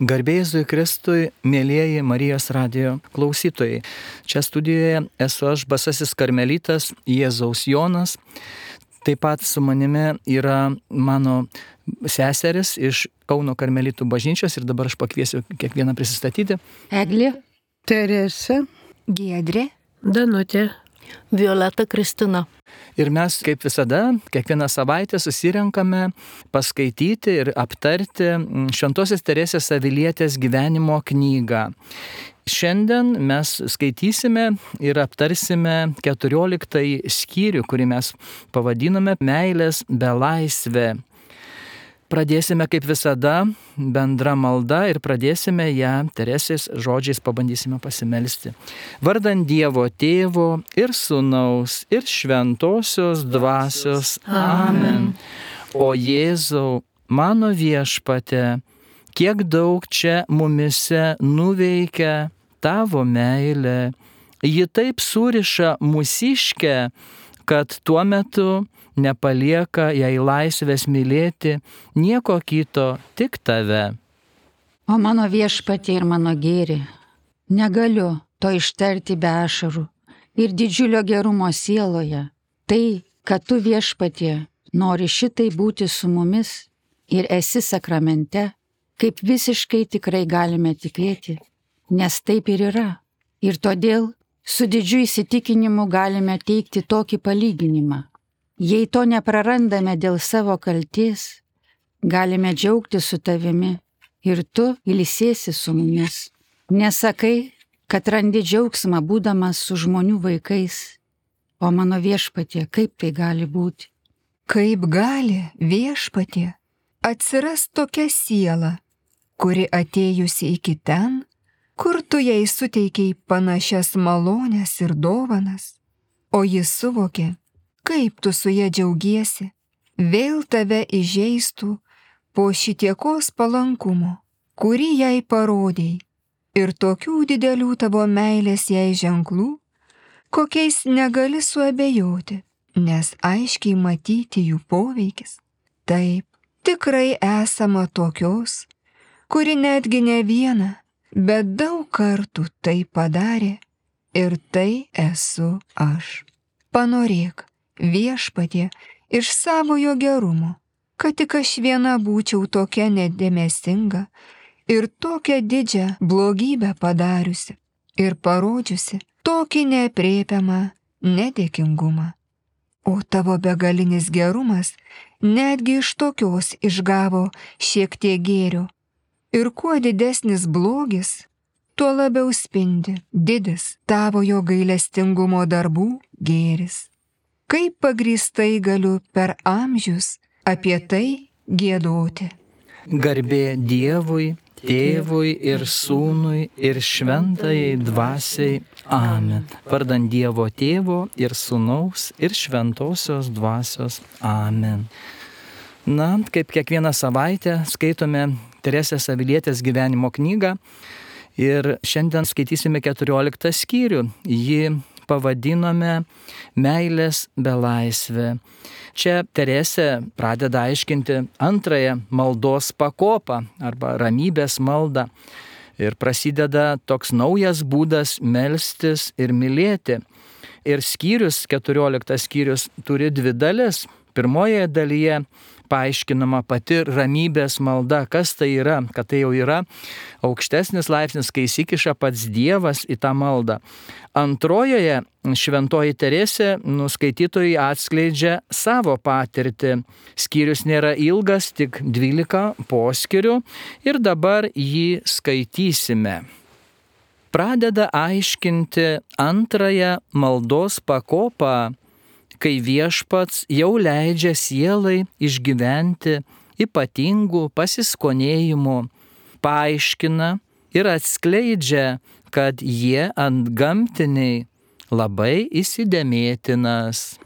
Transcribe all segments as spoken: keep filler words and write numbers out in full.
Garbė Jėzui Kristui, mėlyjeji Marijos radijo klausytojai. Čia studijoje esu aš, basasis karmelitas Jėzaus Jonas. Taip pat su manimi yra mano seseris iš Kauno karmelitų bažnyčios ir dabar aš pakviesiu kiekvieną prisistatyti. Eglė, Teresa, Giedrė, Danutė, Violeta Kristina. Ir mes, kaip visada, kiekvieną savaitę susirenkame paskaityti ir aptarti Šventosios Teresės Avilietės gyvenimo knygą. Šiandien mes skaitysime ir aptarsime keturioliktąjį skyrių, kurį mes pavadinome Meilės belaisvė. Pradėsime kaip visada bendra malda ir pradėsime ją Teresės žodžiais, pabandysime pasimelsti. Vardant Dievo Tėvo ir Sūnaus ir Šventosios Dvasios. Amen. O Jėzau, mano viešpate, kiek daug čia mumise nuveikia tavo meilė. Ji taip suriša mūsiškę, kad tuo metu nepalieka jai laisvės mylėti nieko kito, tik tave. o mano viešpatie ir mano gėri, negaliu to ištarti be ašarų ir didžiulio gerumo sieloje. Tai, kad tu viešpatie nori šitai būti su mumis ir esi sakramente, kaip visiškai tikrai galime tikėti, nes taip ir yra. Ir todėl su didžiu įsitikinimu galime teikti tokį palyginimą. Jei to neprarandame dėl savo kalties, galime džiaugtis su tavimi ir tu ilsėsi su mumis. Nesakai, kad randi džiaugsmą būdamas su žmonių vaikais, o mano viešpatie, kaip tai gali būti? kaip gali viešpatie atsiras tokia siela, kuri atėjusi iki ten, kur tu jai suteikei panašias malones ir dovanas, o jis suvokė, kaip tu su ja džiaugiesi, vėl tave įžeistų po šitiekos palankumo, kurį jai parodėjai, ir tokių didelių tavo meilės jai ženklų, kokiais negali suabejoti, nes aiškiai matyti jų poveikis. Taip, tikrai esama tokios, kuri netgi ne vieną, bet daug kartų tai padarė, ir tai esu aš. Panorėk, viešpatie, iš savojo gerumo, kad tik aš viena būčiau tokia nedėmesinga ir tokią didžią blogybę padariusi ir parodžiusi tokį neaprėpiamą nedėkingumą. O tavo begalinis gerumas netgi iš tokios išgavo šiek tiek gėrio. Ir kuo didesnis blogis, tuo labiau spindi didis tavojo gailestingumo darbų gėris. Kaip pagrįstai galiu per amžius apie tai giedoti. Garbė Dievui, Tėvui ir Sūnui ir Šventajai Dvasiai. Amen. Vardant Dievo Tėvo ir Sūnaus ir Šventosios Dvasios. Amen. Na, kaip kiekvieną savaitę skaitome Teresės Avilietės gyvenimo knygą ir šiandien skaitysime keturioliktą skyrių. Jį pavadinome Meilės belaisvė. Čia Teresė pradeda aiškinti antrąją maldos pakopą arba ramybės maldą. Ir prasideda toks naujas būdas melstis ir mylėti. Ir skyrius, keturioliktas skyrius, turi dvi dalis. Pirmoje dalyje paaiškinama pati ramybės malda, kas tai yra, kad tai jau yra aukštesnis laipsnis, kai įsikiša pats Dievas į tą maldą. Antrojoje šventoji Teresė nuskaitytojai atskleidžia savo patirtį. Skyrius nėra ilgas, tik dvylika poskyrių ir dabar jį skaitysime. Pradeda aiškinti antrąją maldos pakopą, kai viešpats jau leidžia sielai išgyventi ypatingų pasiskonėjimų, paaiškina ir atskleidžia, kad jie antgamtiniai labai įsidėmėtinas.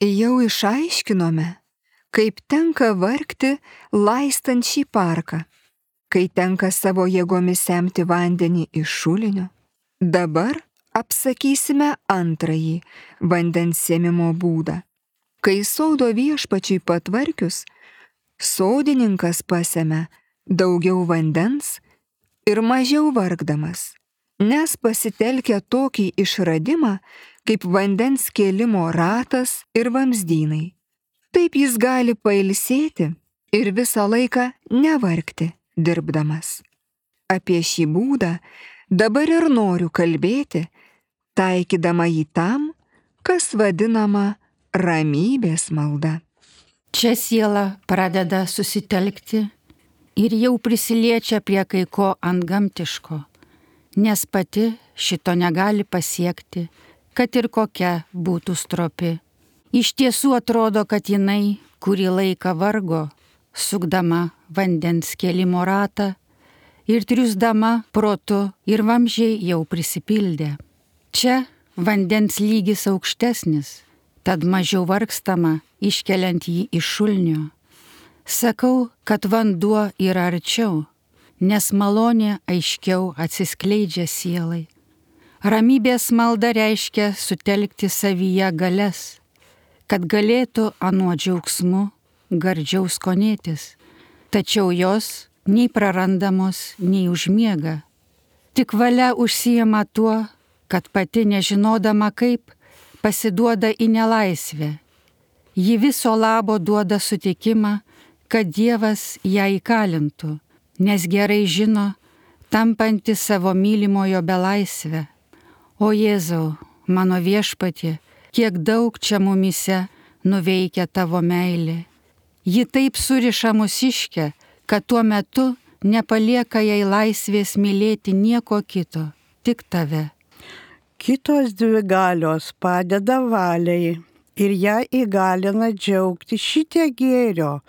Jau išaiškinome, kaip tenka vargti laistant šį parką, kai tenka savo jėgomis semti vandenį iš šulinio. Dabar apsakysime antrąjį vandens sėmimo būdą. Kai sodo viešpačiui patvarkius, sodininkas pasemia daugiau vandens ir mažiau vargdamas, nes pasitelkia tokį išradimą kaip vandens kėlimo ratas ir vamzdynai. Taip jis gali pailsėti ir visą laiką nevargti dirbdamas. Apie šį būdą dabar ir noriu kalbėti, taikydama jį tam, kas vadinama ramybės malda. Čia siela pradeda susitelkti ir jau prisiliečia prie kai ko antgamtiško, nes pati šito negali pasiekti, kad ir kokia būtų stropi. Iš tiesų atrodo, kad jinai kurį laiką vargo, sukdama vandens kėlimo ratą ir triusdama protu ir vamzdžiai jau prisipildė. Čia vandens lygis aukštesnis, tad mažiau vargstama iškeliant jį iš šulnio. Sakau, kad vanduo yra arčiau, nes malonė aiškiau atsiskleidžia sielai. Ramybės malda reiškia sutelkti savyje galias, kad galėtų anuo džiaugsmu gardžiau skonėtis, tačiau jos nei prarandamos, nei užmiega. Tik valia užsijama tuo, kad pati nežinodama kaip pasiduoda į nelaisvę. Ji viso labo duoda sutikimą, kad Dievas ją įkalintų, nes gerai žino, tampanti savo mylimojo belaisvę. O Jėzau, mano viešpatie, kiek daug čia mumyse nuveikia tavo meilė. Ji taip suriša mūsiškę, kad tuo metu nepalieka jai laisvės mylėti nieko kito, tik tave. Kitos dvi galios padeda valiai ir ją įgalina džiaugti šitie gėrio,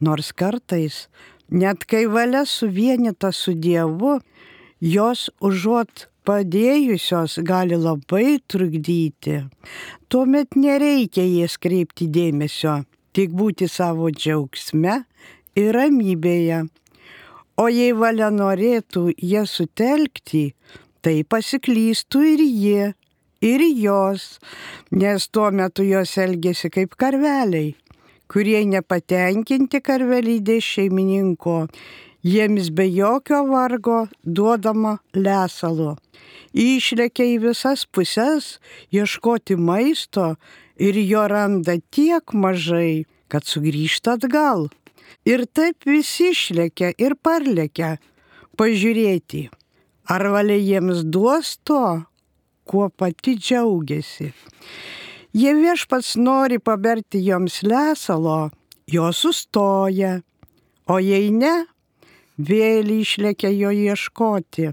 nors kartais, net kai valia suvienita su Dievu, jos užuot padėjusios gali labai trukdyti. Tuomet nereikia jas kreipti dėmesio, tik būti savo džiaugsme ir ramybėje. O jei valia norėtų jas sutelkti, tai pasiklystų ir jie, ir jos, nes tuo metu jos elgėsi kaip karveliai, kurie nepatenkinti karvelydės šeimininko, jiems be jokio vargo duodama lesalo. Išlekia į visas puses ieškoti maisto ir jo randa tiek mažai, kad sugrįžta atgal. Ir taip visi išlekia ir parlekia pažiūrėti, ar valia jiems duos to, kuo pati džiaugiasi. Jei viešpats nori paberti joms lesalo, jos sustoja, o jei ne, vėl išlekia jo ieškoti.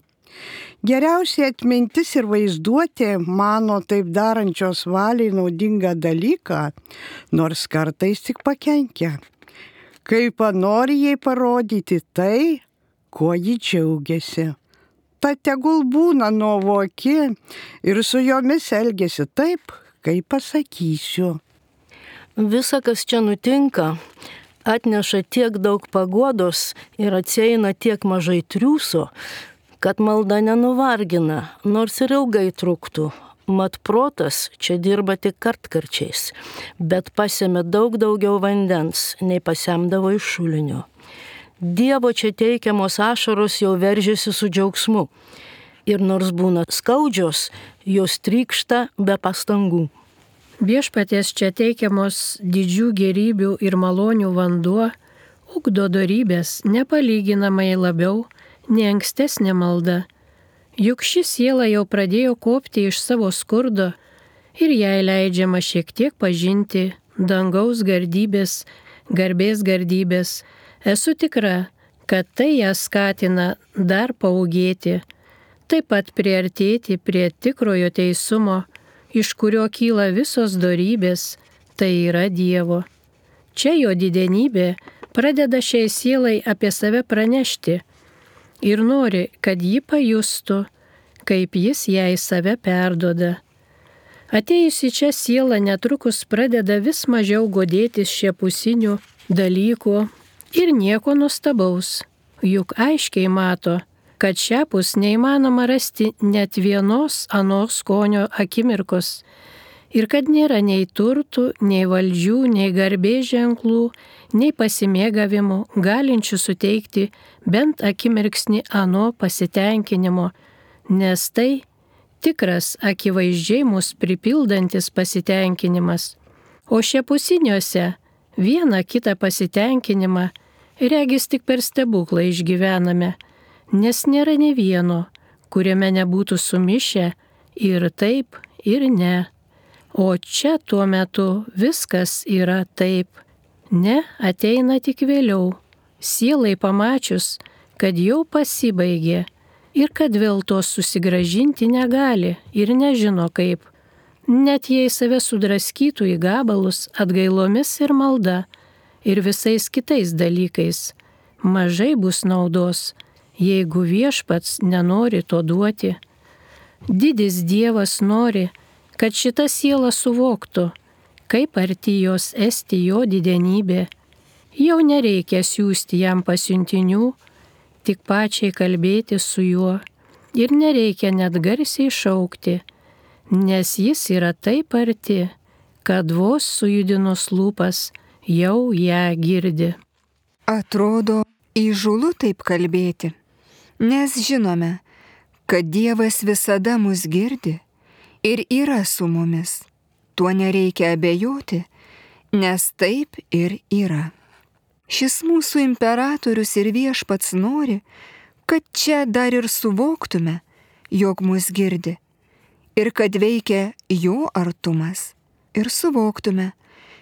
Geriausiai atmintis ir vaizduotė mano taip darančios valiai naudingą dalyką, nors kartais tik pakenkia. Kai panori jai parodyti tai, kuo ji džiaugiasi. Ta tegul būna nuovoki ir su jomis elgiasi taip, kaip pasakysiu. Visa, kas čia nutinka, atneša tiek daug paguodos ir atsieina tiek mažai triūso, kad malda nenuvargina, nors ir ilgai truktų. Mat protas čia dirba tik kartkarčiais, bet pasėmė daug daugiau vandens, nei pasemdavo iš šulinio. Dievo čia teikiamos ašaros jau veržiasi su džiaugsmu. Ir nors būna skaudžios, jos trykšta be pastangų. Viešpaties čia teikiamos didžių gėrybių ir malonių vanduo ugdo dorybės nepalyginamai labiau nei ankstesnė malda. Juk ši siela jau pradėjo kopti iš savo skurdo ir jai leidžiama šiek tiek pažinti dangaus gardybės, garbės gardybės. Esu tikra, kad tai ją skatina dar paūgėti, taip pat priartėti prie tikrojo teisumo, iš kurio kyla visos dorybės, tai yra Dievo. Čia jo didenybė pradeda šiai sielai apie save pranešti ir nori, kad ji pajustų, kaip jis jai save perduoda. Atėjusi čia siela netrukus pradeda vis mažiau godėtis šiapusinių dalykų ir nieko nuostabaus, juk aiškiai mato, kad šiapus neįmanoma rasti net vienos anos skonio akimirkos. ir kad nėra nei turtų, nei valdžių, nei garbės ženklų, nei pasimėgavimų, galinčių suteikti bent akimirksnį ano pasitenkinimo, nes tai tikras akivaizdžiai mus pripildantis pasitenkinimas. O šiapusiniuose vieną kitą pasitenkinimą regis tik per stebuklą išgyvename, nes nėra ne vieno, kuriame nebūtų sumišę ir taip, ir ne. O čia tuo metu viskas yra taip. Ne ateina tik vėliau, sielai pamačius, kad jau pasibaigė ir kad vėl to susigrąžinti negali ir nežino kaip. Net jei save sudraskytų į gabalus atgailomis ir malda ir visais kitais dalykais, mažai bus naudos, jeigu viešpats nenori to duoti. Didis Dievas nori, kad šita siela suvoktų, kaip arti jos esti jo didenybė. Jau nereikia siųsti jam pasiuntinių, tik pačiai kalbėti su juo ir nereikia net garsiai šaukti, nes jis yra taip arti, kad vos sujudinus lūpas jau ją girdi. Atrodo įžūlu taip kalbėti, nes žinome, kad Dievas visada mus girdi ir yra su mumis. Tuo nereikia abejoti, nes taip ir yra. Šis mūsų imperatorius ir viešpats nori, kad čia dar ir suvoktume, jog mus girdi, ir kad veikia jo artumas, ir suvoktume,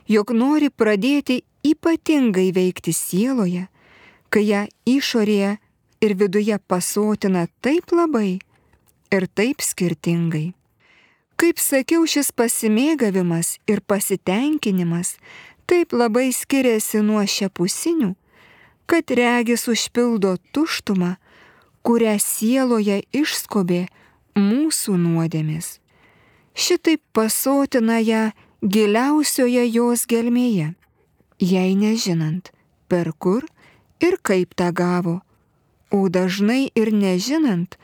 jog nori pradėti ypatingai veikti sieloje, kai ją išorėje ir viduje pasotina taip labai ir taip skirtingai. Kaip sakiau, šis pasimėgavimas ir pasitenkinimas taip labai skiriasi nuo šiapusinių, kad regis užpildo tuštumą, kurią sieloje išskobė mūsų nuodėmės. Šitaip pasotina ją giliausioje jos gelmėje, jei nežinant, per kur ir kaip tą gavo, o dažnai ir nežinant,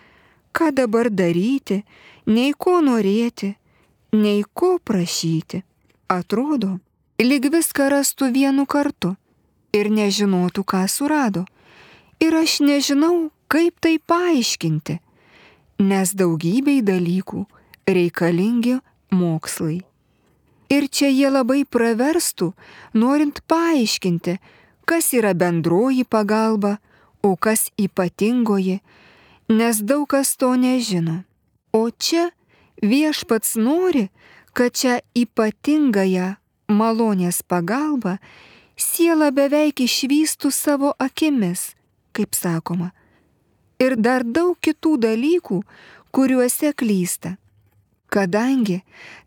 ką dabar daryti, nei ko norėti, nei ko prašyti. Atrodo, lyg viską rastų vienu kartu ir nežinotų, ką surado. Ir aš nežinau, kaip tai paaiškinti, nes daugybei dalykų reikalingi mokslai. Ir čia jie labai praverstų, norint paaiškinti, kas yra bendroji pagalba, o kas ypatingoji, nes daug kas to nežino. O čia viešpats nori, kad čia ypatingąją malonės pagalbą siela beveik išvystų savo akimis, kaip sakoma, ir dar daug kitų dalykų, kuriuose klysta. Kadangi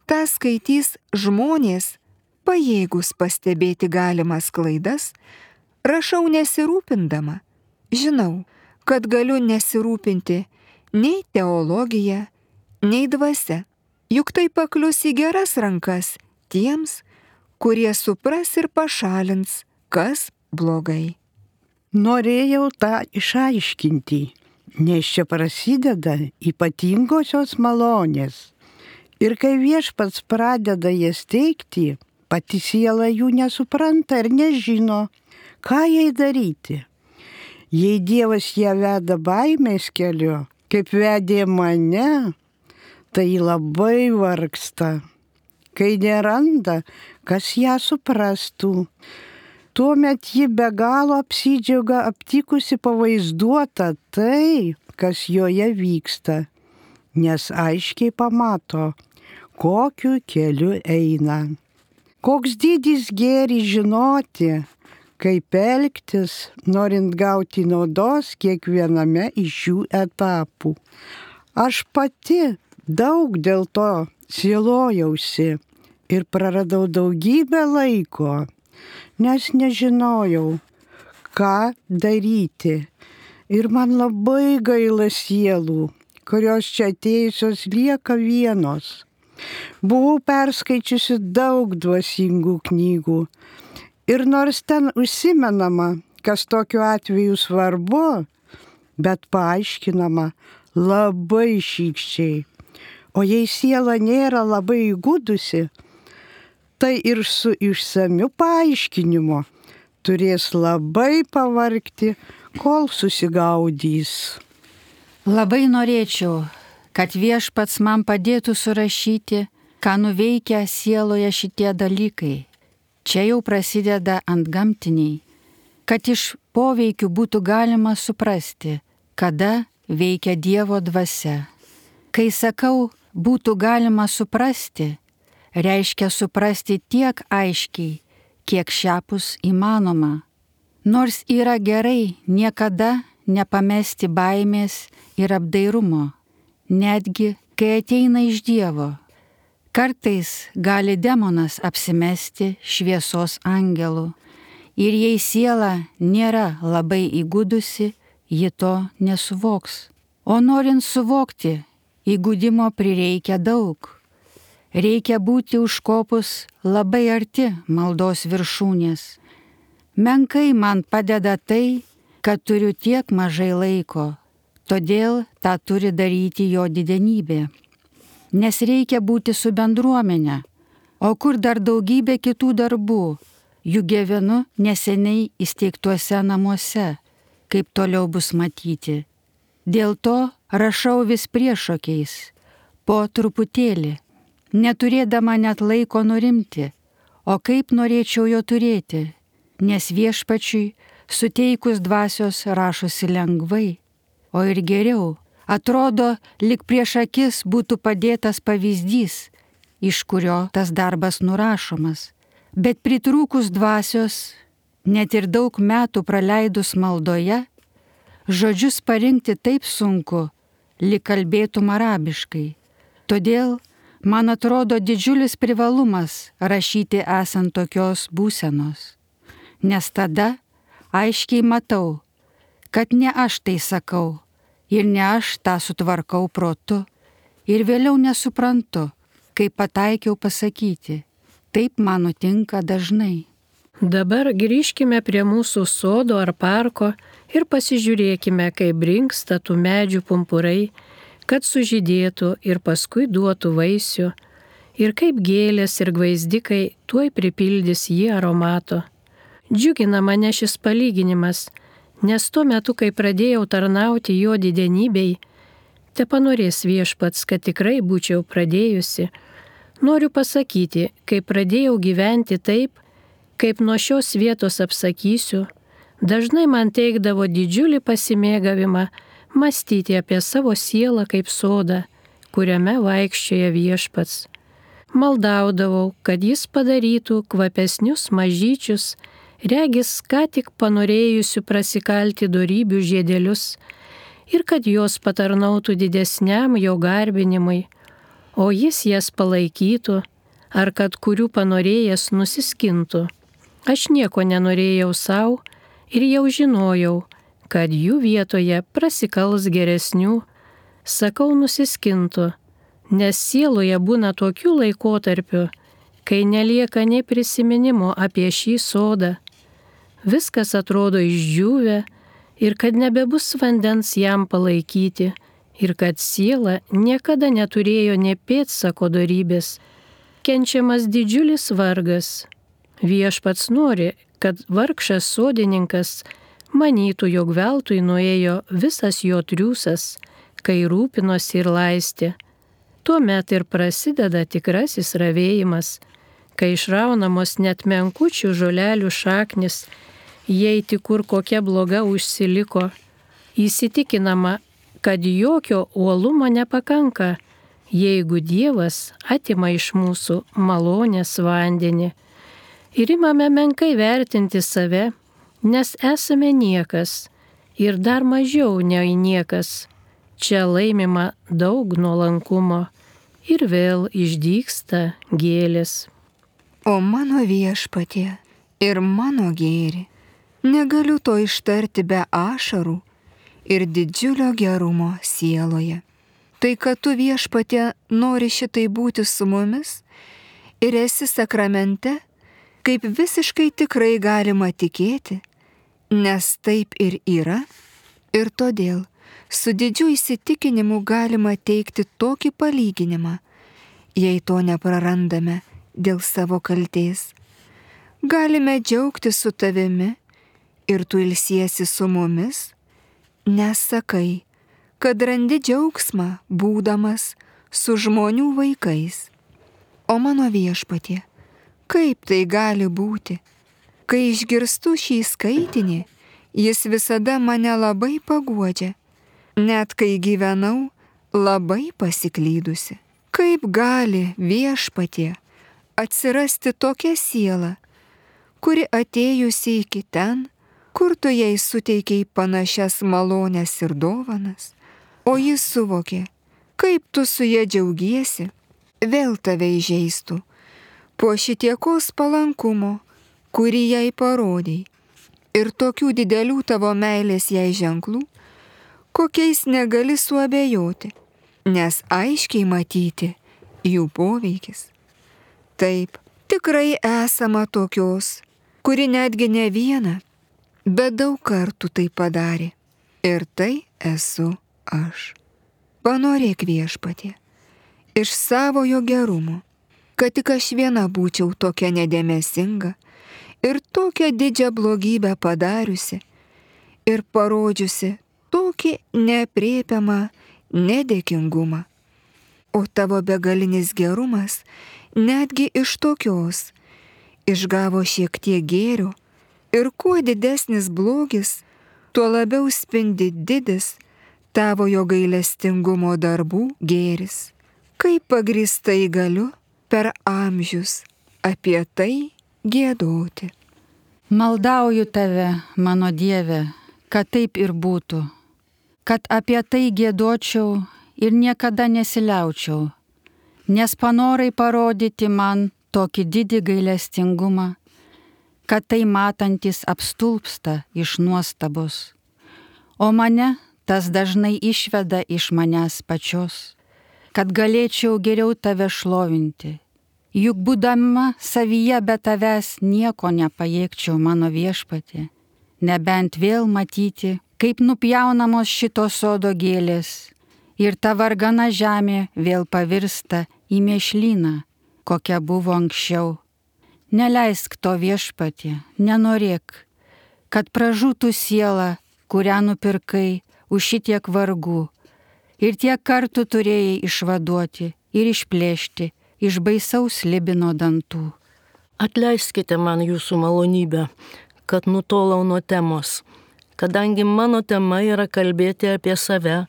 tą skaitys žmonės, pajėgus pastebėti galimas klaidas, rašau nesirūpindama. Žinau, kad galiu nesirūpinti nei teologija, nei dvasia, juk tai paklius į geras rankas tiems, kurie supras ir pašalins, kas blogai. Norėjau tą išaiškinti, nes čia prasideda ypatingosios malonės. Ir kai viešpats pradeda jas teikti, pati siela jų nesupranta ir nežino, ką jai daryti. Jei Dievas ją veda baimės keliu, kaip vedė mane, tai labai vargsta. Kai neranda, kas ją suprastų, tuomet ji be galo apsidžiaugia aptikusi pavaizduota tai, kas joje vyksta, nes aiškiai pamato, kokiu keliu eina. Koks didis gėris žinoti, kaip elgtis, norint gauti naudos kiekviename iš šių etapų. Aš pati daug dėl to sielojausi ir praradau daugybę laiko, nes nežinojau, ką daryti. Ir man labai gaila sielų, kurios čia atėjusios lieka vienos. Buvau perskaičiusi daug dvasingų knygų. Ir nors ten užsimenama, kas tokiu atveju svarbu, bet paaiškinama labai šykščiai. O jei siela nėra labai įgudusi, tai ir su išsamiu paaiškinimu turės labai pavargti, kol susigaudys. Labai norėčiau, kad viešpats man padėtų surašyti, ką nuveikia sieloje šitie dalykai. Čia jau prasideda antgamtiniai, kad iš poveikių būtų galima suprasti, kada veikia Dievo dvasia. Kai sakau, būtų galima suprasti, reiškia suprasti tiek aiškiai, kiek šiapus įmanoma. Nors yra gerai niekada nepamesti baimės ir apdairumo, netgi kai ateina iš Dievo. Kartais gali demonas apsimesti šviesos angelu ir jei siela nėra labai įgudusi, ji to nesuvoks. O norint suvokti, įgudimo prireikia daug. Reikia būti užkopus labai arti maldos viršūnės. Menkai man padeda tai, kad turiu tiek mažai laiko, todėl tą turi daryti jo didenybė. Nes reikia būti su bendruomenė, o kur dar daugybė kitų darbų, juk gyvenu neseniai įsteigtuose namuose, kaip toliau bus matyti. Dėl to rašau vis priešokiais, po truputėlį, neturėdama net laiko nurimti, o kaip norėčiau jo turėti, nes viešpačiui suteikus dvasios rašosi lengvai, o ir geriau, atrodo, lyg prieš akis būtų padėtas pavyzdys, iš kurio tas darbas nurašomas, bet pritrūkus dvasios, net ir daug metų praleidus maldoje, žodžius parinkti taip sunku, lyg kalbėtum arabiškai. Todėl man atrodo didžiulis privalumas rašyti esant tokios būsenos, nes tada aiškiai matau, kad ne aš tai sakau ir ne aš tą sutvarkau protu ir vėliau nesuprantu, kaip pataikiau pasakyti. Taip man nutinka dažnai. Dabar grįžkime prie mūsų sodo ar parko ir pasižiūrėkime, kaip brinksta tų medžių pumpurai, kad sužydėtų ir paskui duotų vaisių, ir kaip gėlės ir gvaizdikai tuoj pripildys jį aromato. Džiugina mane šis palyginimas, nes tuo metu, kai pradėjau tarnauti jo didenybei, tepanorės viešpats, kad tikrai būčiau pradėjusi. Noriu pasakyti, kai pradėjau gyventi taip, kaip nuo šios vietos apsakysiu, dažnai man teikdavo didžiulį pasimėgavimą mąstyti apie savo sielą kaip sodą, kuriame vaikščioja viešpats. Maldaudavau, kad jis padarytų kvapesnius mažyčius, regis ką tik panorėjusių prasikalti dorybių žiedelius ir kad jos patarnautų didesniam jo garbinimui, o jis jas palaikytų, ar kad kurių panorėjęs nusiskintų. Aš nieko nenorėjau savo ir jau žinojau, kad jų vietoje prasikals geresnių, sakau nusiskintų, nes sieloje būna tokių laikotarpių, kai nelieka nei prisiminimo apie šį sodą. Viskas atrodo išdžiūvę ir kad nebebus vandens jam palaikyti ir kad siela niekada neturėjo nė pėdsako dorybės. Kenčiamas didžiulis vargas. Viešpats nori, kad vargšas sodininkas manytų, jog veltui nuėjo visas jo triūsas, kai rūpinosi ir laistė. Tuomet ir prasideda tikrasis ravėjimas, kai išraunamos net menkučių žolelių šaknis, jei tik kur kokia bloga užsiliko, įsitikinama, kad jokio uolumo nepakanka, jeigu Dievas atima iš mūsų malonės vandenį. Ir imame menkai vertinti save, nes esame niekas ir dar mažiau nei niekas. Čia laimima daug nuolankumo ir vėl išdygsta gėlės. O mano viešpatie ir mano gėri, negaliu to ištarti be ašarų ir didžiulio gerumo sieloje. Tai, kad tu viešpatie nori šitai būti su mumis ir esi sakramente, kaip visiškai tikrai galima tikėti, nes taip ir yra, ir todėl Su didžiu įsitikinimu galima teikti tokį palyginimą, jei to neprarandame dėl savo kaltės. Galime džiaugtis su tavimi ir tu ilsiesi su mumis, nes sakai, kad randi džiaugsmą būdamas su žmonių vaikais. O mano Viešpatie, kaip tai gali būti? Kai išgirstu šį skaitinį, jis visada mane labai paguodžia, net kai gyvenau labai pasiklydusi. Kaip gali, Viešpatie, atsirasti tokia siela, kuri atėjusi iki ten, kur tu jai suteikiai panašias malones ir dovanas, o jis suvokė, kaip tu su ja džiaugiesi, vėl tave įžeistų, po šitiekos palankumo, kurį jai parodėjai, ir tokių didelių tavo meilės jai ženklų, kokiais negali suabejoti, nes aiškiai matyti jų poveikis. Taip, tikrai esama tokios, kuri netgi ne vieną, bet daug kartų tai padarė, ir tai esu aš. Panorėk, Viešpatie, iš savojo gerumo, kad tik aš viena būčiau tokia nedėmesinga ir tokią didžią blogybę padariusi ir parodžiusi tokį neaprėpiamą nedėkingumą. O tavo begalinis gerumas netgi iš tokios išgavo šiek tiek gėrio ir kuo didesnis blogis, tuo labiau spindi didis tavojo gailestingumo darbų gėris. Kaip pagrįstai galiu per amžius apie tai giedoti. Maldauju tave, mano Dieve, kad taip ir būtų, kad apie tai giedočiau ir niekada nesiliaučiau, nes panorai parodyti man tokį didį gailestingumą, kad tai matantis apstulpsta iš nuostabos, o mane tas dažnai išveda iš manęs pačios, kad galėčiau geriau tave šlovinti. Juk būdama savyje be tavęs nieko nepajėgčiau, mano Viešpatie, nebent vėl matyti, kaip nupjaunamos šito sodo gėlės ir ta vargana žemė vėl pavirsta į mėšlyną, kokia buvo anksčiau. Neleisk to, Viešpatie, nenorėk, kad pražūtų siela, kurią nupirkai už šitiek vargų ir tiek kartų turėjai išvaduoti ir išplėšti iš baisaus Libino dantų. Atleiskite man jūsų malonybę, kad nutolau nuo temos. Kadangi mano tema yra kalbėti apie save,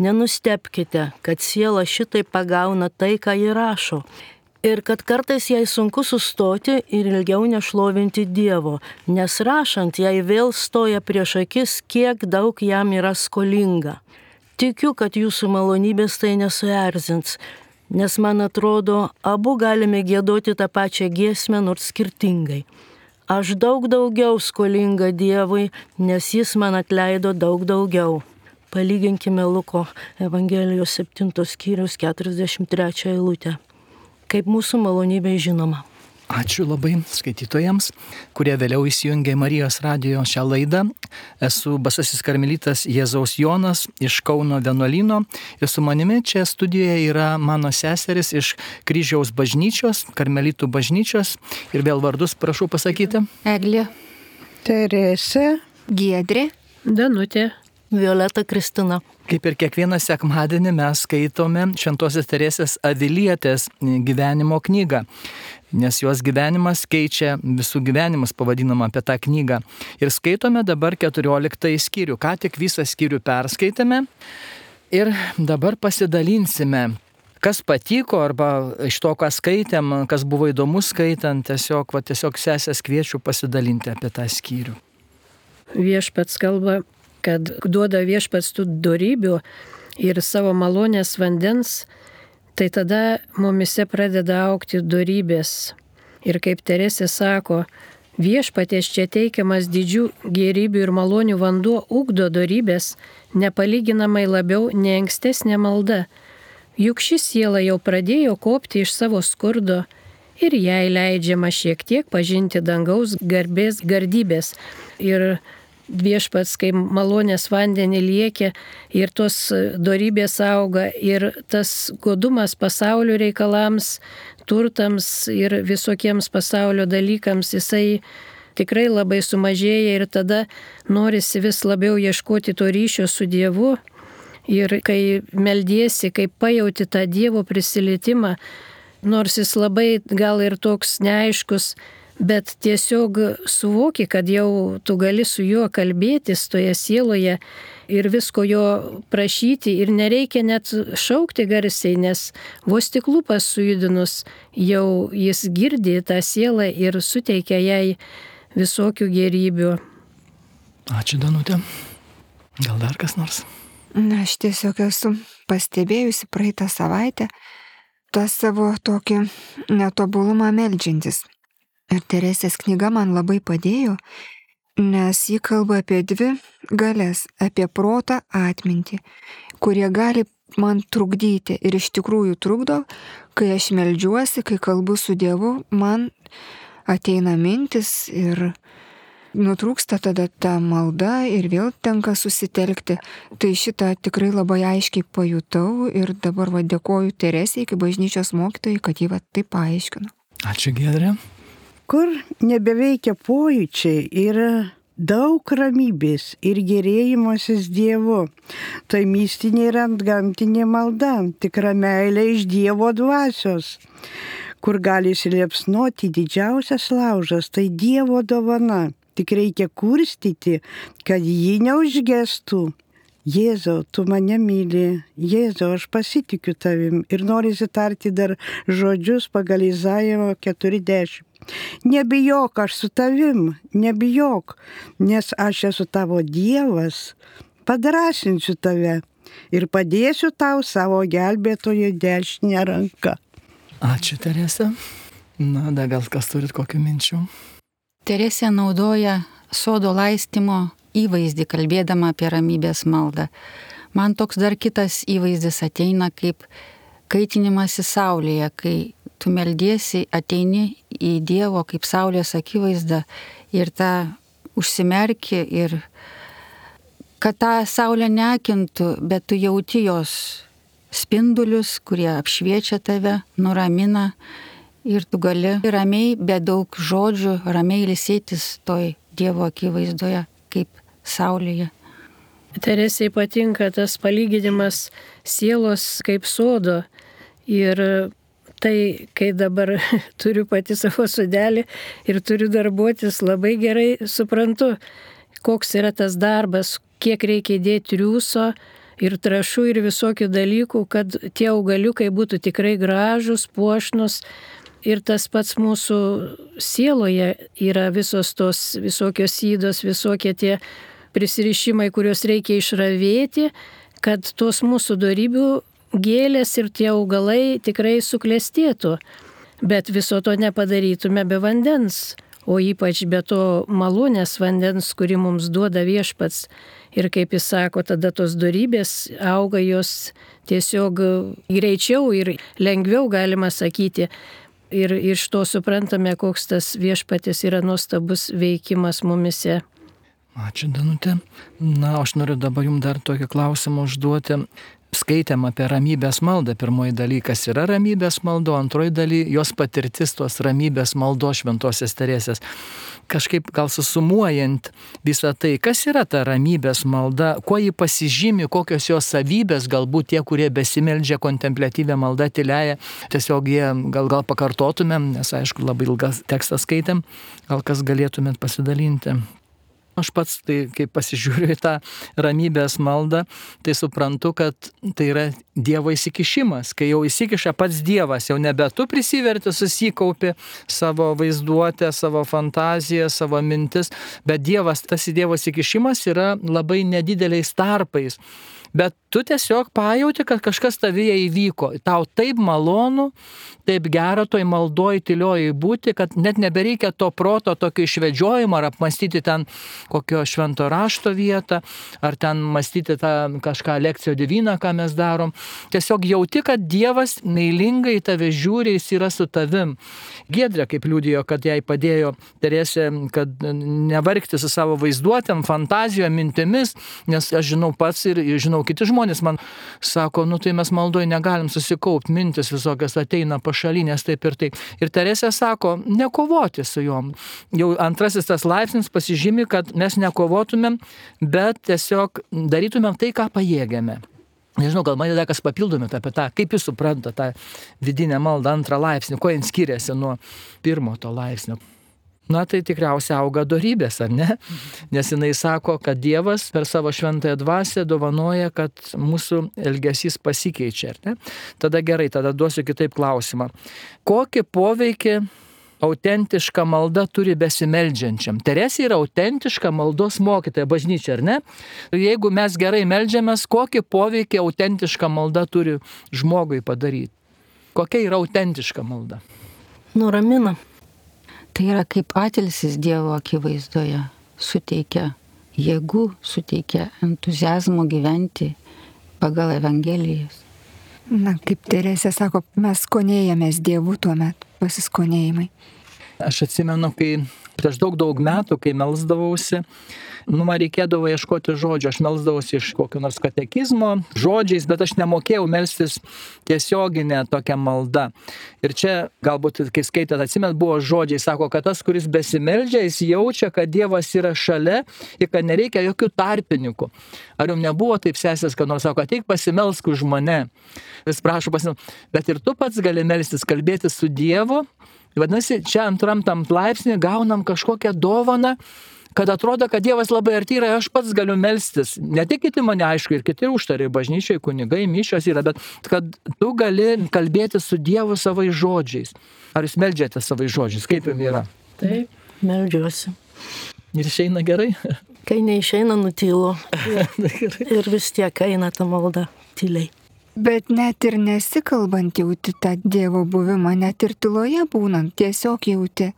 nenustebkite, kad siela šitai pagauna tai, ką ji rašo. Ir kad kartais jai sunku sustoti ir ilgiau nešlovinti Dievo, nes rašant jai vėl stoja prieš akis, kiek daug jam yra skolinga. Tikiu, kad jūsų malonybės tai nesuerzins, nes man atrodo, abu galime giedoti tą pačią giesmę, nors skirtingai. Aš daug daugiau skolinga Dievui, nes jis man atleido daug daugiau. Palyginkime Luko Evangelijos septintos skyriaus keturiasdešimt trečią eilutę. Kaip mūsų malonybė žinoma. Ačiū labai skaitytojams, kurie vėliau įsijungė Marijos radijo šią laidą. Esu Basasis karmelitas Jėzaus Jonas iš Kauno vienuolyno ir su manimi čia studijoje yra mano seseris iš Kryžiaus bažnyčios, karmelitų bažnyčios. Ir vėl vardus prašau pasakyti. Eglė, Teresė, Giedrė, Danutė, Violeta Kristina. Kaip ir kiekvieną sekmadienį mes skaitome Šventosios Teresės Avilietės gyvenimo knygą, nes jos gyvenimas keičia visų gyvenimus, pavadinama apie tą knygą. Ir skaitome dabar keturioliktąjį skyrių. Ką tik visą skyrių perskaitėme ir dabar pasidalinsime, kas patiko arba iš to, ką skaitėm, kas buvo įdomu skaitant, tiesiog, va, tiesiog sesės kviečiu pasidalinti apie tą skyrių. Viešpats kalba, kad duoda Viešpats tų dorybių ir savo malonės vandens, tai tada mumise pradeda augti dorybės. Ir kaip Teresė sako, Viešpaties čia teikiamas didžių gėrybių ir malonių vanduo ugdo dorybės nepalyginamai labiau nei ankstesnė malda. Juk ši siela jau pradėjo kopti iš savo skurdo ir jai leidžiama šiek tiek pažinti dangaus garbės gardybės. Ir viešpats, kai malonės vandenį liekia ir tos dorybės auga ir tas godumas pasaulio reikalams, turtams ir visokiems pasaulio dalykams, jisai tikrai labai sumažėja ir tada norisi vis labiau ieškoti to ryšio su Dievu. Ir kai meldiesi, kai pajauti tą Dievo prisilietimą, nors jis labai gal ir toks neaiškus, bet tiesiog suvoki, kad jau tu gali su juo kalbėtis toje sieloje ir visko jo prašyti ir nereikia net šaukti garsiai, nes vos tik lūpas sujudinus jau jis girdi tą sielą ir suteikia jai visokių gerybių. Ačiū, Danutė. Gal dar kas nors? Na, aš tiesiog esu pastebėjusi praeitą savaitę tą savo tokį netobulumą meldžiantis. Ir Teresės knyga man labai padėjo, nes ji kalba apie dvi galias, apie protą, atmintį, kurie gali man trukdyti ir iš tikrųjų trukdo, kai aš meldžiuosi, kai kalbu su Dievu, man ateina mintis ir nutrūksta tada ta malda ir vėl tenka susitelkti. Tai šitą tikrai labai aiškiai pajutau ir dabar va dėkoju Teresei, kaip bažnyčios mokytojai, kad jį va taip paaiškino. Ačiū, Giedrė. Kur nebeveikia pojūčiai, yra daug ramybės ir gerėjimosis Dievu. Tai mistinė ir antgamtinė malda, tikra meilė iš Dievo dvasios, kur gali įsiliepsnoti didžiausias laužas, tai Dievo dovana. Tik reikia kurstyti, kad ji neužgestų. Jėzau, tu mane myli, Jėzau, aš pasitikiu tavim ir norisi tarti dar žodžius pagal Izaijo keturiasdešimt. Nebijok, aš su tavim, nebijok, nes aš esu tavo Dievas, padrasinsiu tave ir padėsiu tau savo gelbėtojo dešinę ranką. Ačiū, Terese. Na, da gal kas turit kokių minčių? Teresė naudoja sodo laistymo įvaizdį, kalbėdama apie ramybės maldą. Man toks dar kitas įvaizdis ateina kaip kaitinimas į saulėje, kai tu meldiesi, ateini į Dievo kaip saulės akivaizdą ir tą užsimerki ir kad tą saulę neakintų, bet tu jauti jos spindulius, kurie apšviečia tave, nuramina. Ir tu gali ramiai, be daug žodžių, ramiai ilsėtis toj Dievo akivaizdoje, kaip saulėje. Teresei patinka tas palyginimas sielos kaip sodo. Ir tai, kai dabar turiu pati savo sodelį ir turiu darbuotis, labai gerai suprantu, koks yra tas darbas, kiek reikia įdėti triūso ir trąšų ir visokių dalykų, kad tie augaliukai būtų tikrai gražus, puošnus. Ir tas pats mūsų sieloje yra visos tos visokios įdos, visokie tie prisirišimai, kuriuos reikia išravėti, kad tos mūsų dorybių gėlės ir tie augalai tikrai suklestėtų. Bet viso to nepadarytume be vandens, o ypač be to malonės vandens, kurį mums duoda viešpats. Ir kaip jis sako, tada tos dorybės auga, jos tiesiog greičiau ir lengviau, galima sakyti. Ir iš to suprantame, koks tas viešpatis yra nuostabus veikimas mumise. Ačiū, Danutė. Na, aš noriu dabar jums dar tokį klausimą užduoti. Skaitėm apie ramybės maldą. Pirmoji dalykas yra ramybės maldo, antroji daly jos patirtis tos ramybės maldos šventosios Teresės. Kažkaip gal susumuojant visą tai, kas yra ta ramybės malda, kuo ji pasižymi, kokios jos savybės, galbūt tie, kurie besimeldžia kontempliatyvę maldą tyliąją, tiesiog jie gal, gal pakartotumėm, nes aišku labai ilgas tekstas skaitėm, gal kas galėtumėt pasidalinti. Aš pats, tai kai pasižiūriu į tą ramybės maldą, tai suprantu, kad tai yra Dievo įsikišimas. Kai jau įsikiša pats Dievas, jau nebe tu prisiverti, susikaupi savo vaizduotę, savo fantaziją, savo mintis, bet Dievas, tas Dievo įsikišimas yra labai nedideliais tarpais. Bet tu tiesiog pajauti, kad kažkas tavyje įvyko. Tau taip malonu, taip gera toj maldoj tyliojai būti, kad net nebereikia to proto tokio išvedžiojimo ar apmastyti ten kokio švento rašto vietą, ar ten mąstyti tą kažką lekcijo diviną, ką mes darom. Tiesiog jauti, kad Dievas meilingai tave žiūri, jis yra su tavim. Giedrė, kaip liudijo, kad jai padėjo Teresė, kad nevargti su savo vaizduotėm, fantazijom, mintimis, nes aš žinau pats ir žinau kiti žmonės man sako, nu tai mes maldoj negalim susikaupti, mintis visokias ateina pašalinės taip ir taip. Ir Teresė sako, nekovoti su juom. Jau antrasis tas laipsnis pasižymi, kad mes nekovotumėm, bet tiesiog darytumėm tai, ką pajėgiame. Nežinau, gal man dar kas papildomėt apie tą, kaip jūs supranta tą vidinę maldą antrą laipsnį, kuo jin skiriasi nuo pirmo to laipsnio. Na tai tikriausiai auga dorybės, ar ne? Nes jinai sako, kad Dievas per savo šventąją dvasią dovanoja, kad mūsų elgesys pasikeičia, ar ne? Tada gerai, tada duosiu kitaip klausimą. Kokį poveikį autentiška malda turi besimeldžiančiam? Teresė yra autentiška maldos mokytoja bažnyčia, ar ne? Jeigu mes gerai meldžiamės, kokį poveikį autentiška malda turi žmogui padaryti? Kokia yra autentiška malda? Nuramina. Tai yra kaip atilsis Dievo akivaizdoje, suteikia jėgų, suteikia entuziazmo gyventi pagal Evangelijas. Na, kaip Teresė sako, mes skonėjamės Dievu tuomet, pasiskonėjimai. Aš atsimenu, kai prieš daug daug metų, kai melsdavausi, nu, man reikėdavo ieškoti žodžių, aš melsdavausi iš kokio nors katekizmo žodžiais, bet aš nemokėjau melstis tiesioginę tokią maldą. Ir čia, galbūt, kai skaitėt, atsimet, buvo žodžiai, sako, kad tas, kuris besimeldžia, jis jaučia, kad Dievas yra šalia ir kad nereikia jokių tarpininkų. Ar jums nebuvo taip, sesės, kad nors sako, ateik pasimelsk už mane. Vis prašau pasimelsk, bet ir tu pats gali melstis, kalbėti su Dievu. Vadinasi, čia antram tam laipsnį gaunam kažkokią dovaną, kad atrodo, kad Dievas labai arti yra, aš pats galiu melstis. Ne tik kiti mane, aišku, ir kiti užtariai, bažnyčiai, kunigai, mišios yra, bet kad tu gali kalbėti su Dievu savais žodžiais. Ar jūs meldžiate savais žodžiais? Kaip jums yra? Taip, meldžiuosi. Ir išeina gerai? Kai neišeina, nutylu. Ir vis tiek eina ta malda tyliai. Bet net ir nesikalbant jauti tą Dievo buvimą, net ir tyloje būnant, tiesiog jauti.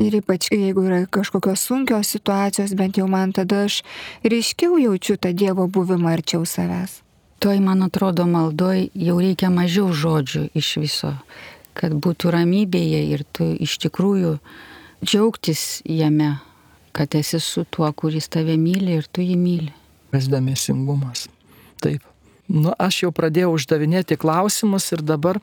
Ir ypač jeigu yra kažkokios sunkios situacijos, bent jau man tada aš ryškiau jaučiu tą Dievo buvimą arčiau savęs. Toj, man atrodo, maldoj jau reikia mažiau žodžių iš viso, kad būtų ramybėje ir tu iš tikrųjų džiaugtis jame, kad esi su tuo, kuris tave myli ir tu jį myli. Kas dėmesingumas. Taip. Nu, aš jau pradėjau uždavinėti klausimus ir dabar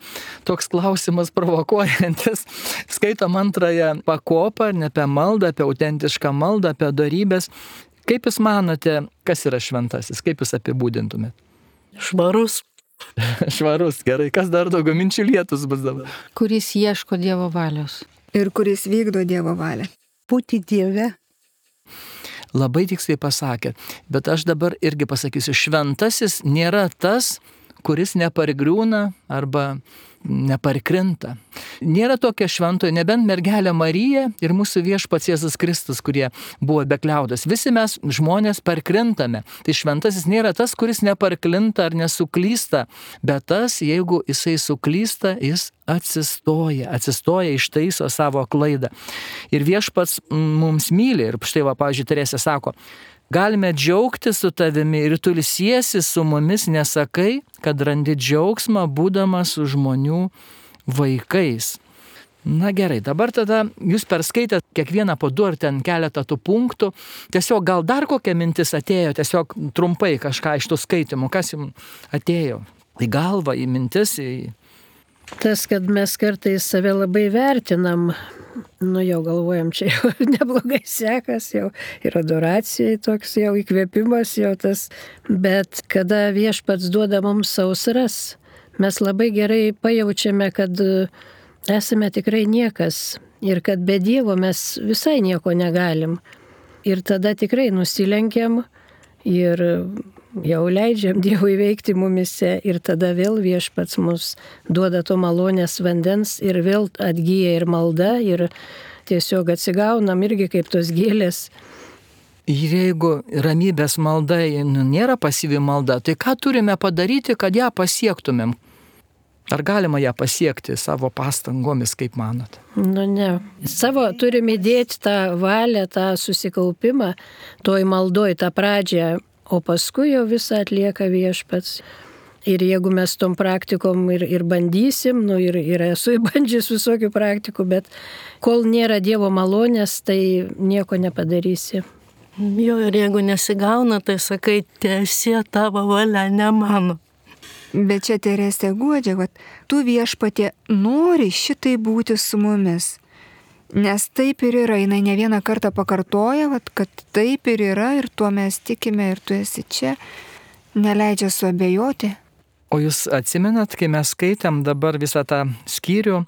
toks klausimas provokuojantis. Skaitom antrąją pakopą, ne apie maldą, apie autentišką maldą, apie dorybės. Kaip jūs manote, kas yra šventasis? Kaip jūs apibūdintumėt? Švarus. Švarus, gerai. Kas dar daugiau minčių lietus bus dabar? Kuris ieško Dievo valios. Ir kuris vykdo Dievo valią. Būti Dieve. Labai tiksliai pasakė, bet aš dabar irgi pasakysiu, šventasis nėra tas, kuris nepargriūna arba neparkrinta. Nėra tokio šventojo, nebent mergelė Marija ir mūsų viešpats Jėzus Kristus, kurie buvo bekliaudas. Visi mes žmonės parkrintame. Tai šventasis nėra tas, kuris neparklinta ar nesuklysta, bet tas, jeigu jisai suklysta, jis atsistoja, atsistoja, ištaiso savo klaidą. Ir viešpats mums myli. Ir štai va, pavyzdžiui, Teresė sako, galime džiaugtis su tavimi ir tu ilsiesi su mumis, nesakai, kad randi džiaugsmą būdamas su žmonių vaikais. Na gerai, dabar tada jūs perskaitėt kiekvieną po du ar ten keletą tų punktų. Tiesiog gal dar kokia mintis atėjo, tiesiog trumpai kažką iš tų skaitimų, kas jums atėjo į galvą, į mintis, į... Tas, kad mes kartais save labai vertinam, nu jau galvojam, čia jau neblogai sekas, jau ir adoracijai toks jau įkvėpimas jau tas, bet kada viešpats duoda mums sausras, mes labai gerai pajaučiame, kad esame tikrai niekas ir kad be Dievo mes visai nieko negalim. Ir tada tikrai nusilenkiam ir jau leidžiam Dievui veikti mumise ir tada vėl viešpats mus duoda to malonės vandens ir vėl atgyja ir malda ir tiesiog atsigaunam irgi kaip tos gėlės. Ir jeigu ramybės malda nėra pasyvi malda, tai ką turime padaryti, kad ją pasiektumėm? Ar galima ją pasiekti savo pastangomis, kaip manot? Nu ne. Savo turime įdėti tą valią, tą susikaupimą, toj maldoj, tą pradžią, o paskui jau visą atlieka Viešpats. Ir jeigu mes tom praktikom ir, ir bandysim, nu ir, ir esu bandžius visokių praktikų, bet kol nėra Dievo malonės, tai nieko nepadarysi. Jo, ir jeigu nesigauna, tai sakai, tiesie tavo valia, ne mano. Bet čia Teresė guodžia, kad tu Viešpatie nori šitai būti su mumis. Nes taip ir yra, jinai ne vieną kartą pakartoja, vat, kad taip ir yra ir tuo mes tikime ir tu esi čia, neleidžia suabejoti. O jūs atsimenat, kai mes skaitėm dabar visą tą skyrių,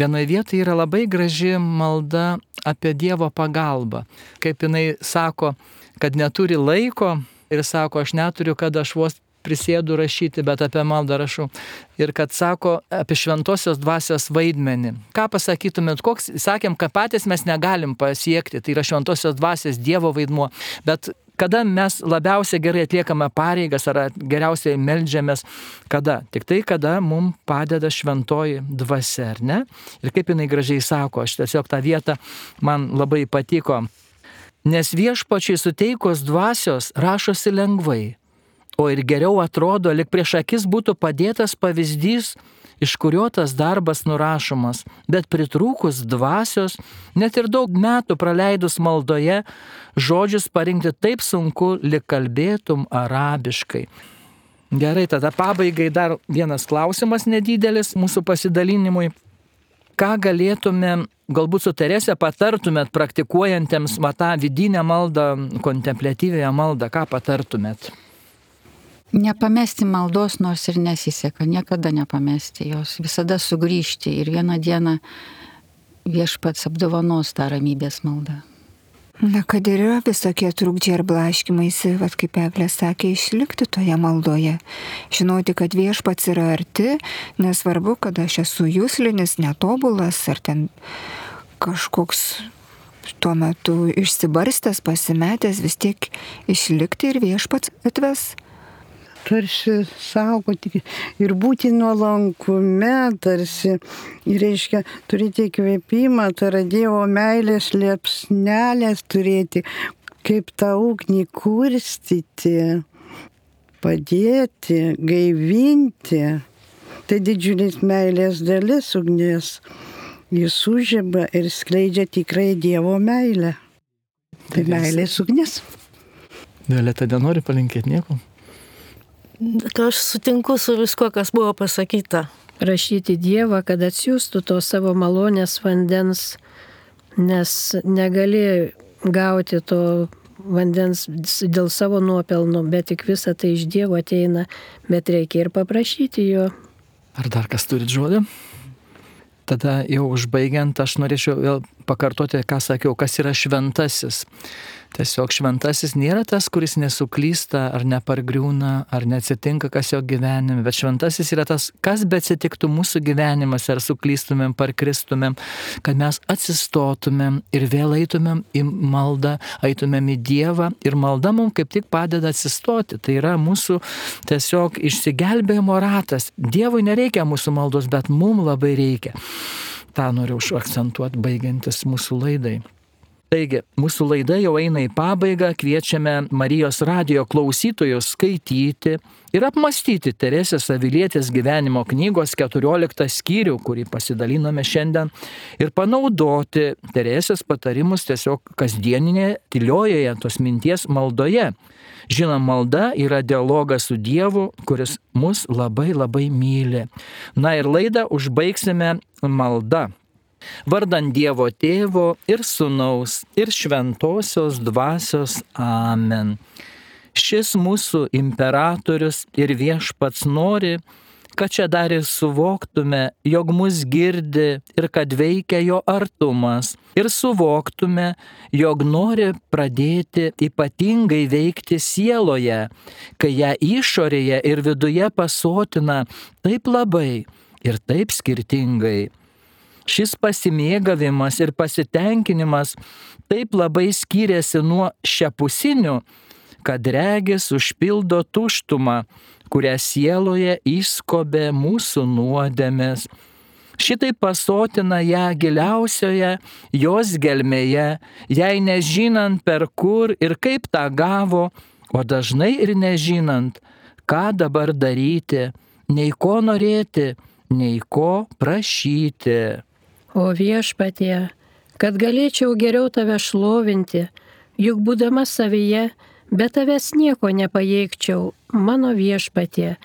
vienoje vietoje yra labai graži malda apie Dievo pagalbą. Kaip jinai sako, kad neturi laiko ir sako, aš neturiu, kad aš vos prisėdu rašyti, bet apie maldą rašau. Ir kad sako apie šventosios dvasios vaidmenį. Ką pasakytumėt, koks, sakėm, kad patys mes negalim pasiekti, tai yra šventosios dvasios Dievo vaidmuo, bet kada mes labiausiai gerai atliekame pareigas ar geriausiai meldžiamės, kada? Tik tai, kada mums padeda šventoji dvasia, ar ne? Ir kaip jinai gražiai sako, aš tiesiog tą vietą man labai patiko. Nes Viešpačiui suteikus dvasios rašosi lengvai, o ir geriau atrodo, lyg prieš akis būtų padėtas pavyzdys, iš kurio tas darbas nurašomas, bet pritrūkus dvasios, net ir daug metų praleidus maldoje, žodžius parinkti taip sunku, lyg kalbėtum arabiškai. Gerai, tada pabaigai dar vienas klausimas nedidelis mūsų pasidalinimui. Ką galėtume, galbūt su Terese patartumėt praktikuojantiems tą vidinę maldą, kontempliatyvėją maldą, ką patartumėt? Nepamesti maldos, nors ir nesiseka, niekada nepamesti jos, visada sugrįžti ir vieną dieną Viešpats apdovanos tą ramybės maldą. Na, kad ir yra visokie trukdžiai ir blaškymaisi, vat kaip Eglė sakė, išlikti toje maldoje. Žinoti, kad Viešpats yra arti, nesvarbu, kad aš esu juslinis, netobulas, ar ten kažkoks tuo metu išsibarstęs, pasimetęs, vis tiek išlikti ir Viešpats atves. Tarsi saugoti ir būti nuolankume, tarsi, reiškia, turėti įkvėpimą, tai yra Dievo meilės liepsnelės turėti, kaip tą ugnį kurstyti, padėti, gaivinti. Tai didžiulis meilės dalis ugnies. Jis užžiba ir skleidžia tikrai Dievo meilę. Tai meilės ugnis. Violeta, nenori palinkėti nieko? Aš sutinku su visko, kas buvo pasakyta. Prašyti Dievą, kad atsiųstų to savo malonės vandens, nes negali gauti to vandens dėl savo nuopelnų, bet tik visa tai iš Dievo ateina, bet reikia ir paprašyti jo. Ar dar kas turit žodį? Tada jau užbaigiant, aš norėčiau vėl pakartoti, ką sakiau, kas yra šventasis. Tiesiog šventasis nėra tas, kuris nesuklysta ar nepargriūna, ar neatsitinka kas jo gyvenime, bet šventasis yra tas, kas beatsitiktų mūsų gyvenimas, ar suklystumėm, parkristumėm, kad mes atsistotumėm ir vėl eitumėm į maldą, eitumėm į Dievą ir malda mums kaip tik padeda atsistoti. Tai yra mūsų tiesiog išsigelbėjimo ratas. Dievui nereikia mūsų maldos, bet mums labai reikia. Ta noriu užakcentuoti baigiantis mūsų laidai. Taigi, mūsų laida jau eina į pabaigą, kviečiame Marijos radijo klausytojus skaityti ir apmastyti Teresės Avilietės gyvenimo knygos keturioliktą skyrių, kurį pasidalinome šiandien, ir panaudoti Teresės patarimus tiesiog kasdieninėje, tyliojoje tos minties maldoje. Žinoma, malda yra dialogas su Dievu, kuris mus labai labai myli. Na ir laidą užbaigsime malda. Vardan Dievo Tėvo ir Sūnaus ir Šventosios Dvasios. Amen. Šis mūsų imperatorius ir Viešpats nori, kad čia dar ir suvoktume, jog mus girdi ir kad veikia jo artumas, ir suvoktume, jog nori pradėti ypatingai veikti sieloje, kai ją išorėje ir viduje pasotina taip labai ir taip skirtingai. Šis pasimėgavimas ir pasitenkinimas taip labai skiriasi nuo šiapusinių, kad regis užpildo tuštumą, kurią sieloje įskobė mūsų nuodėmės. Šitai pasotina ją giliausioje jos gelmėje, jai nežinant per kur ir kaip tą gavo, o dažnai ir nežinant, ką dabar daryti, nei ko norėti, nei ko prašyti. O Viešpatie, kad galėčiau geriau tave šlovinti, juk būdama savyje, be tavęs nieko nepajėgčiau, mano Viešpatie,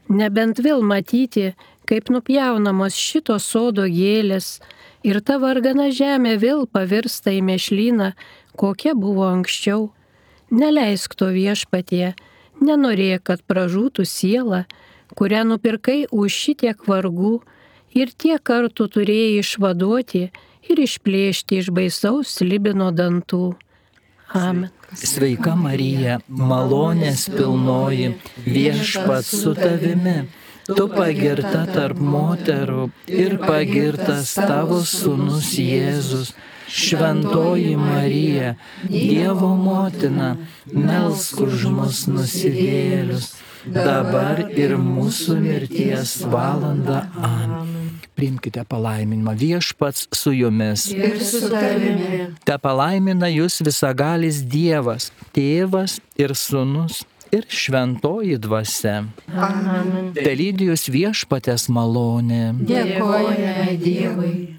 nebent vėl matyti, kaip nupjaunamos šito sodo gėlės ir ta vargana žemė vėl pavirsta į mėšlyną, kokia buvo anksčiau. Neleisk to, Viešpatie, nenorėk, kad pražūtų siela, kurią nupirkai už šitiek vargų ir tiek kartų turėjai išvaduoti ir išplėšti iš baisaus slibino dantų. Amen. Sveika Marija, malonės pilnoji, Viešpats su tavimi. Tu pagirta tarp moterų ir pagirtas tavo sūnus Jėzus. Šventoji Marija, Dievo motina, melsk už mus nusidėjėlius, dabar ir mūsų mirties valanda. Amen. Priimkite palaiminimą. Viešpats su jumis. Ir su tavimi. Te palaimina jūs visagalis Dievas, Tėvas ir Sūnus ir Šventoji Dvasia. Amen. Te lydi jūs Viešpaties malonė. Dėkojame Dievui.